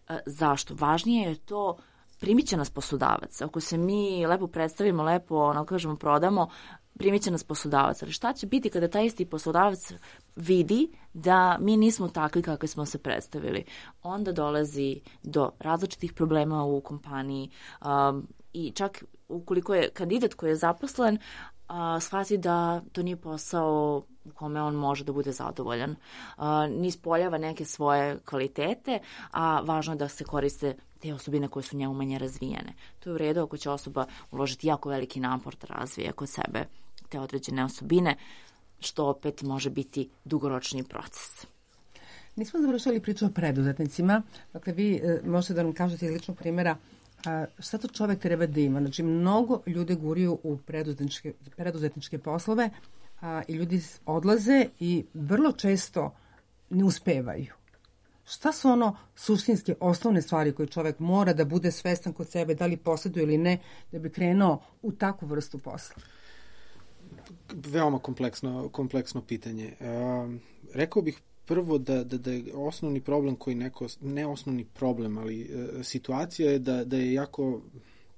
Speaker 5: E, zašto? Važnije je to, primit će nas poslodavac. Ako se mi lepo predstavimo, lepo, ono kažemo, prodamo, primit će nas poslodavac. Ali šta će biti kada taj isti poslodavac vidi da mi nismo takvi kakvi smo se predstavili? Onda dolazi do različitih problema u kompaniji, um, i čak ukoliko je kandidat koji je zaposlen, a, shvati da to nije posao u kome on može da bude zadovoljan. A, ni ispoljava neke svoje kvalitete, a važno je da se koriste te osobine koje su njemu manje razvijene. To je u redu ako će osoba uložiti jako veliki napor da razvije kod sebe te određene osobine, što opet može biti dugoročni proces.
Speaker 3: Nismo završili priču o preduzetnicima. Dakle, vi e, možete da nam kažete iz ličnog primjera a, šta to čovek treba da ima. Znači, mnogo ljudi guriju u preduzetničke, preduzetničke poslove a, i ljudi odlaze i vrlo često ne uspevaju. Šta su ono suštinske, osnovne stvari koje čovek mora da bude svestan kod sebe, da li posjeduje ili ne, da bi krenuo u takvu vrstu posla?
Speaker 4: Veoma kompleksno, kompleksno pitanje. E, rekao bih prvo da, da, da je osnovni problem koji neko, ne osnovni problem, ali e, situacija je da, da je jako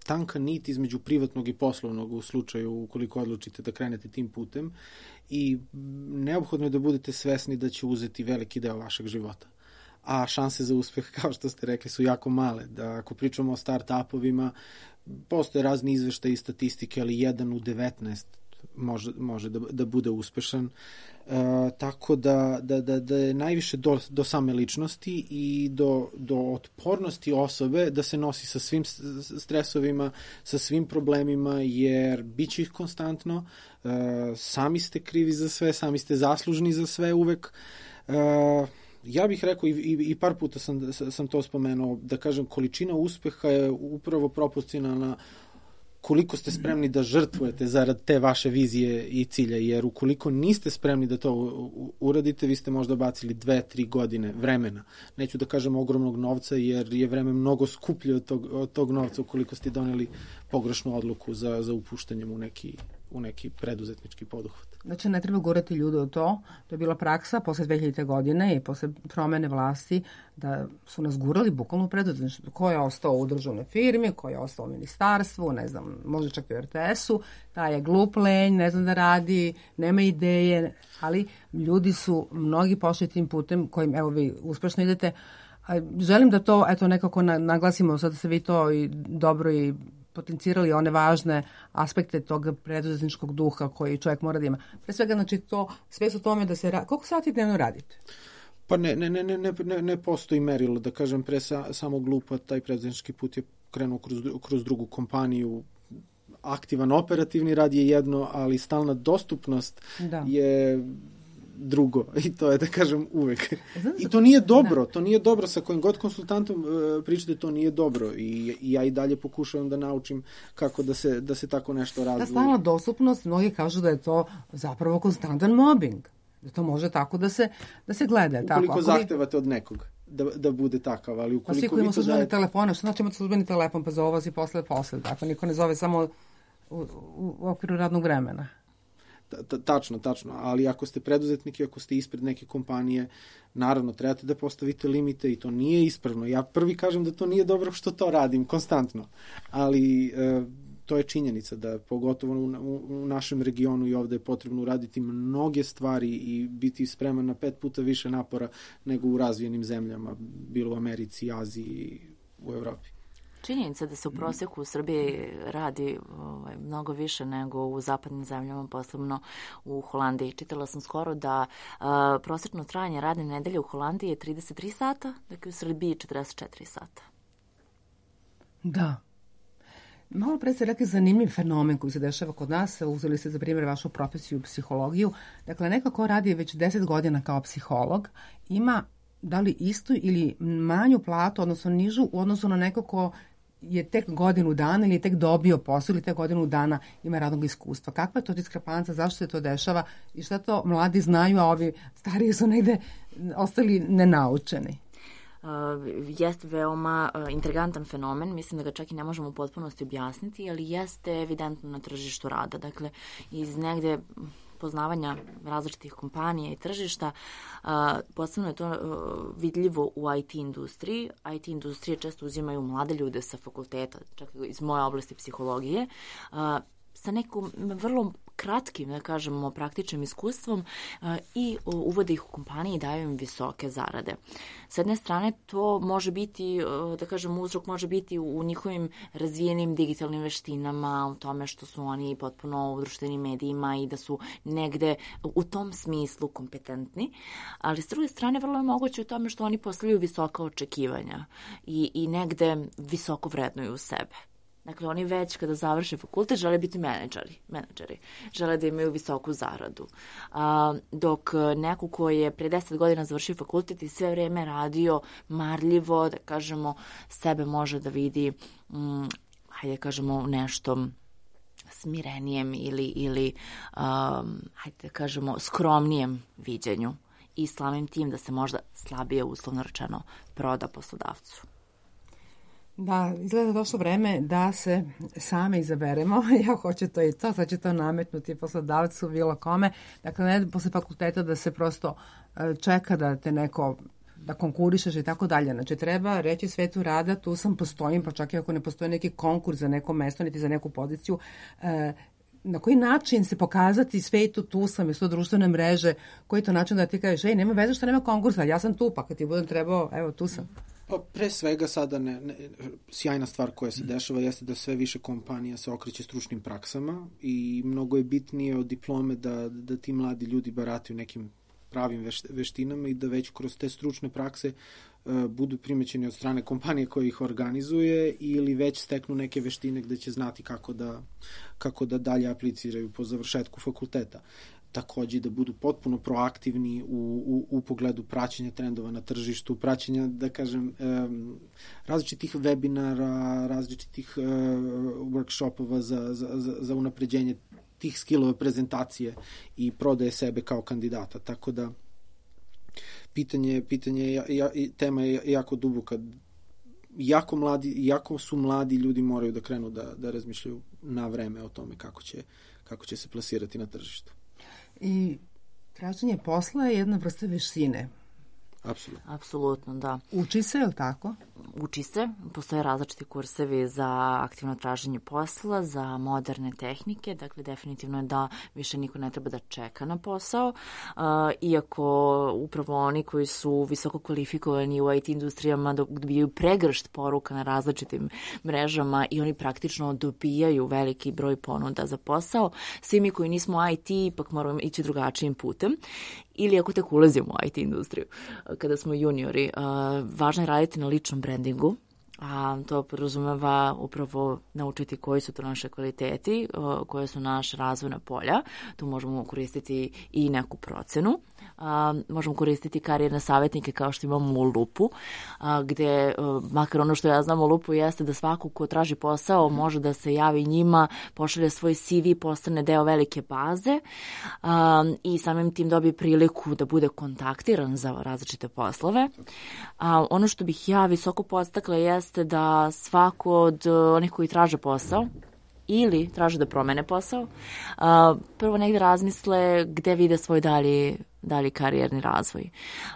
Speaker 4: tanka nit između privatnog i poslovnog u slučaju ukoliko odlučite da krenete tim putem i neophodno je da budete svesni da će uzeti veliki deo vašeg života. A šanse za uspeh, kao što ste rekli, su jako male. Da ako pričamo o start-upovima, postoje razni izveštaji i statistike, ali jedan u devetnaest može, može da, da bude uspešan. E, tako da, da, da, da je najviše do, do same ličnosti i do, do otpornosti osobe da se nosi sa svim stresovima, sa svim problemima, jer bit će ih konstantno. E, sami ste krivi za sve, sami ste zaslužni za sve uvek. E, Ja bih rekao i, i, i par puta sam, sam to spomenuo, da kažem, količina uspeha je upravo proporcionalna koliko ste spremni da žrtvujete zarad te vaše vizije i cilja, jer ukoliko niste spremni da to uradite, vi ste možda bacili dve, tri godine vremena. Neću da kažem ogromnog novca, jer je vreme mnogo skuplje od tog, od tog novca ukoliko ste doneli pogrešnu odluku za, za upuštanjem u neki, u neki preduzetnički poduhvat.
Speaker 3: Znači, ne treba gurati ljude u to. To je bila praksa posle dve hiljadite. godine i posle promene vlasti da su nas gurali bukvalno u preduzetništvo. Ko je ostao u državnoj firmi, ko je ostao u ministarstvu, ne znam, možda čak i u er te esu, taj je glup, lenj, ne zna da radi, nema ideje, ali ljudi su mnogi pošli tim putem kojim, evo, vi uspešno idete. Želim da to, eto, nekako naglasimo, sad ste vi to i dobro i potencirali one važne aspekte tog preduzetničkog duha koji čovjek mora da ima. Pre svega, znači, to, sve su tome da se radi. Koliko sati dnevno radite?
Speaker 4: Pa ne, ne, ne, ne, ne, ne postoji merilo, da kažem, pre sa, samo glupa, taj preduzetnički put je krenuo kroz, kroz drugu kompaniju. Aktivan operativni rad je jedno, ali stalna dostupnost da. je drugo. I to je, da kažem, uvek. I to nije dobro. Da. To nije dobro. Sa kojim god konsultantom uh, pričate, to nije dobro. I, I ja i dalje pokušavam da naučim kako da se, da se tako nešto razvije.
Speaker 3: Ta stalna dostupnost, mnogi kažu da je to zapravo konstantan mobbing. Da to može tako da se, da se gleda.
Speaker 4: Ukoliko
Speaker 3: tako.
Speaker 4: zahtevate od nekog da, da bude takav, ali ukoliko...
Speaker 3: Pa svi koji imamo službeni daje... telefone, što znači imate službeni telefon, pa zove si posle posle. Dakle, niko ne zove samo u, u, u okviru radnog vremena.
Speaker 4: Tačno, tačno, ali ako ste preduzetnik i ako ste ispred neke kompanije, naravno, trebate da postavite limite i to nije ispravno. Ja prvi kažem da to nije dobro što to radim konstantno, ali e, to je činjenica da pogotovo u, u, u našem regionu i ovde je potrebno uraditi mnoge stvari i biti spreman na pet puta više napora nego u razvijenim zemljama, bilo u Americi, Aziji, u Evropi.
Speaker 5: Činjenica da se u prosjeku u Srbiji radi ovaj, mnogo više nego u zapadnim zemljama, posebno u Holandiji. Čitala sam skoro da uh, prosječno trajanje radne nedelje u Holandiji je trideset tri sata, dakle u Srbiji četrdeset četiri sata.
Speaker 3: Da. Malo pre ste rekli zanimljiv fenomen koji se dešava kod nas, uzeli ste za primjer vašu profesiju psihologiju. Dakle, neko ko radi već deset godina kao psiholog ima da li istu ili manju platu, odnosno nižu u odnosu na neko ko je tek godinu dana ili je tek dobio posao ili tek godinu dana ima radnog iskustva. Kakva je to diskrepanca, zašto se to dešava i šta to mladi znaju, a ovi stariji su negde ostali nenaučeni?
Speaker 5: Uh, jeste veoma uh, intrigantan fenomen, mislim da ga čak i ne možemo u potpunosti objasniti, ali jeste evidentno na tržištu rada. Dakle, iz negde poznavanja različitih kompanija i tržišta, uh, posebno je to uh, vidljivo u I T industriji. I T industrije često uzimaju mlade ljude sa fakulteta, čak iz moje oblasti psihologije, uh, sa nekom vrlo kratkim, da kažemo, praktičnim iskustvom uh, i uvode ih u kompaniji i daju im visoke zarade. S jedne strane, to može biti, uh, da kažem, uzrok može biti u, u njihovim razvijenim digitalnim veštinama, u tome što su oni potpuno u društvenim medijima i da su negde u tom smislu kompetentni, ali s druge strane, vrlo je moguće u tome što oni postavljaju visoka očekivanja i, i negde visoko vrednuju sebe. Dakle, oni već kada završe fakultet žele biti menadžeri, menadžeri. Žele da imaju visoku zaradu. A, dok neko ko je pre deset godina završio fakultet i sve vreme radio marljivo, da kažemo, sebe može da vidi, mm, hajde da kažemo, nešto smirenijem ili, ili um, hajde da kažemo, skromnijem viđenju i slavim tim da se možda slabije, uslovno rečeno, proda poslodavcu.
Speaker 3: Da, izgleda došlo vreme da se same izaberemo. Ja hoću to i to, sad će to nametnuti poslodavcu, bilo kome. Dakle, ne posle fakulteta da se prosto čeka da te neko, da konkurišeš i tako dalje. Znači, treba reći svetu rada, tu sam, postojim, pa čak i ako ne postoji neki konkurs za neko mesto, niti za neku poziciju, na koji način se pokazati svetu, tu sam, jesu to društvene mreže, koji je to način da ti kažeš, ej, nema veze što nema konkursa, ja sam tu, pa kad ti budem trebao, evo, tu sam.
Speaker 4: Pa pre svega sada ne, ne, sjajna stvar koja se dešava jeste da sve više kompanija se okreće stručnim praksama i mnogo je bitnije od diplome da, da ti mladi ljudi barataju nekim pravim veš, veštinama i da već kroz te stručne prakse uh, budu primećeni od strane kompanije koja ih organizuje ili već steknu neke veštine gde će znati kako da, kako da dalje apliciraju po završetku fakulteta. Takođe da budu potpuno proaktivni u, u, u pogledu praćenja trendova na tržištu, praćenja, da kažem, um, različitih webinara, različitih uh, workshopova za, za, za, za unapređenje tih skillova prezentacije i prodaje sebe kao kandidata. Tako da pitanje, pitanje ja, ja, tema je jako duboka. Jako, mladi, jako su mladi ljudi moraju da krenu da, da razmišljaju na vreme o tome kako će, kako će se plasirati na tržištu.
Speaker 3: I traženje posla je jedna vrsta veštine.
Speaker 4: Apsolutno.
Speaker 5: Apsolutno, da.
Speaker 3: Uči se, je li tako?
Speaker 5: Uči se. Postoje različiti kursevi za aktivno traženje posla, za moderne tehnike. Dakle, definitivno je da više niko ne treba da čeka na posao. Uh, iako upravo oni koji su visoko kvalifikovani u I T industrijama dobijaju pregršt poruka na različitim mrežama i oni praktično dobijaju veliki broj ponuda za posao. Svi mi koji nismo I T ipak moramo ići drugačijim putem. Ili ako tek ulazimo u I T industriju, kada smo juniori, uh, važno je raditi na ličnom brandingu, a to podrazumeva upravo naučiti koji su to naše kvaliteti, uh, koje su naše razvojna polja. Tu možemo koristiti i neku procenu. Uh, možemo koristiti karijerne savjetnike kao što imamo u Lupu, uh, gde, uh, makar ono što ja znam u Lupu jeste da svako ko traži posao može da se javi njima, pošalje svoj C V, postane deo velike baze uh, i samim tim dobije priliku da bude kontaktiran za različite poslove. Uh, ono što bih ja visoko podstakla jeste da svako od uh, onih koji traže posao ili traže da promene posao, uh, prvo negde razmisle gde vide svoj dalji, dalji karijerni razvoj.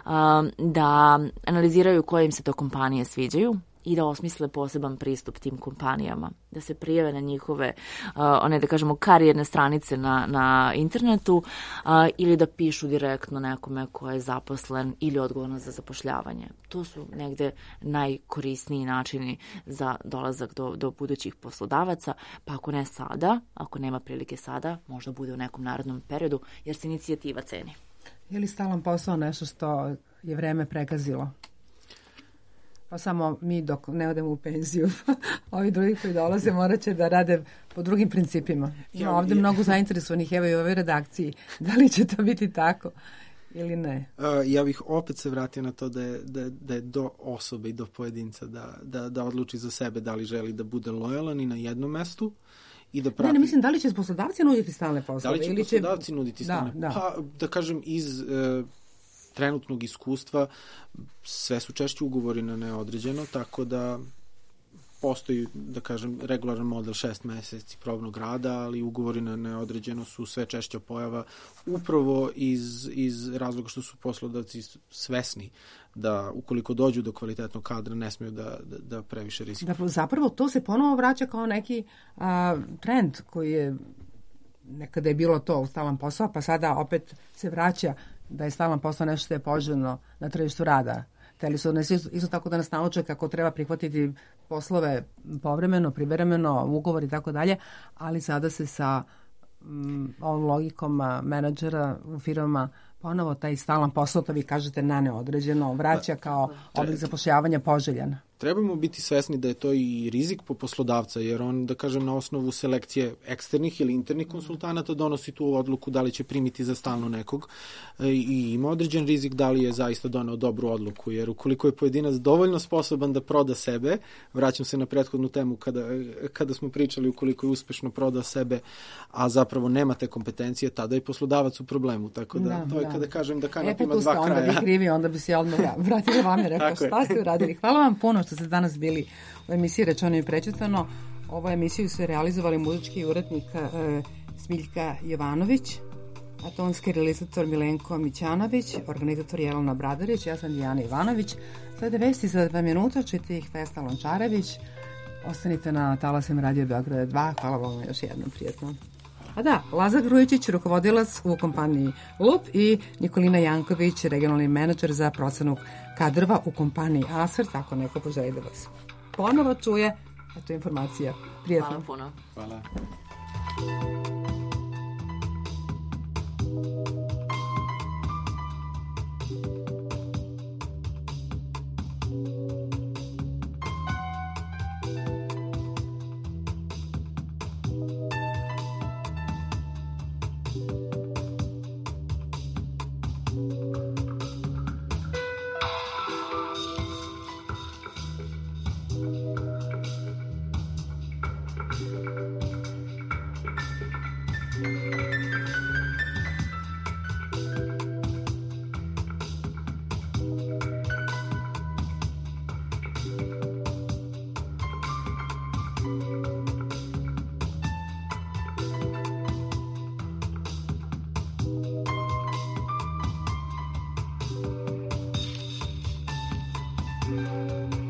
Speaker 5: Uh, da analiziraju koje im se to kompanije sviđaju i da osmisle poseban pristup tim kompanijama, da se prijave na njihove, uh, one da kažemo karijerne stranice na, na internetu uh, ili da pišu direktno nekome ko je zaposlen ili odgovoran za zapošljavanje. To su negde najkorisniji načini za dolazak do, do budućih poslodavaca, pa ako ne sada, ako nema prilike sada, možda bude u nekom narednom periodu, jer se inicijativa ceni.
Speaker 3: Je li stalan posao nešto što je vreme pregazilo? pa samo mi dok ne odemo u penziju. Ovi drugi koji dolaze morat će da rade po drugim principima. Ima
Speaker 4: Ja,
Speaker 3: ovde
Speaker 4: ja.
Speaker 3: mnogo zainteresovanih, evo i u ovoj redakciji. Da li će to biti tako ili ne?
Speaker 4: Uh, ja bih opet se vratio na to da je, da, da je do osobe i do pojedinca da, da, da odluči za sebe da li želi da bude lojalan i na jednom mestu i da prati...
Speaker 3: Ne, ne, mislim, da li će poslodavci nuditi stalne poslove?
Speaker 4: Da li će
Speaker 3: ili
Speaker 4: poslodavci nuditi
Speaker 3: Da,
Speaker 4: stalne?
Speaker 3: da.
Speaker 4: Pa, da kažem, iz e, trenutnog iskustva sve su češće ugovori na neodređeno, tako da postoji, da kažem, regularan model šest meseci probnog rada, ali ugovori na neodređeno su sve češća pojava upravo iz, iz razloga što su poslodavci svesni da ukoliko dođu do kvalitetnog kadra ne smiju da, da, da previše rizikuju.
Speaker 3: Da, zapravo to se ponovo vraća kao neki a, trend koji je nekada je bilo to stalan posao, pa sada opet se vraća da je stalan posao nešto što je poželjno na tržištu rada. Teli su nas isto, isto tako da nas nauče kako treba prihvatiti poslove povremeno, privremeno, ugovor i tako dalje, ali sada se sa mm, ovom logikom a, menadžera u firmama ponovo taj stalan posao, to vi kažete na neodređeno, vraća kao oblik zapošljavanja poželjan.
Speaker 4: Trebamo biti svesni da je to i rizik po poslodavca, jer on, da kažem, na osnovu selekcije eksternih ili internih konsultanata donosi tu odluku da li će primiti za stalno nekog i ima određen rizik da li je zaista doneo dobru odluku, jer ukoliko je pojedinac dovoljno sposoban da proda sebe, vraćam se na prethodnu temu kada, kada smo pričali ukoliko je uspešno prodao sebe, a zapravo nema te kompetencije, tada je poslodavac u problemu, tako da,
Speaker 3: Da,
Speaker 4: to je
Speaker 3: da.
Speaker 4: kada kažem da kanap
Speaker 3: E, pa
Speaker 4: ima
Speaker 3: tu ste
Speaker 4: dva
Speaker 3: onda
Speaker 4: kraja.
Speaker 3: vi krivi, onda bi se odmah vratila vam i rekao
Speaker 4: Tako je.
Speaker 3: šta ste uradili. Hvala vam puno što ste danas bili u emisiji Rečeno i prečutano. Ovu emisiju su realizovali muzički urednik e, Smiljka Jovanović, a tonski realizator Milenko Mićanović, organizator Jelena Bradarić, ja sam Dijana Ivanović. Sada vesti za dva minuta, čite ih Vesna Lončarević. Ostanite na talasima Radio Beograda dva. Hvala vam još jednom, prijetno. A da, Lazar Grujičić, rukovodilac u kompaniji Lup i Nikolina Janković, regionalni menadžer za procenu kadrova u kompaniji Asfer, tako neko poželi da vas ponovo čuje. Eto informacija. Prijetno.
Speaker 5: Hvala puno.
Speaker 4: Hvala.
Speaker 8: Thank you.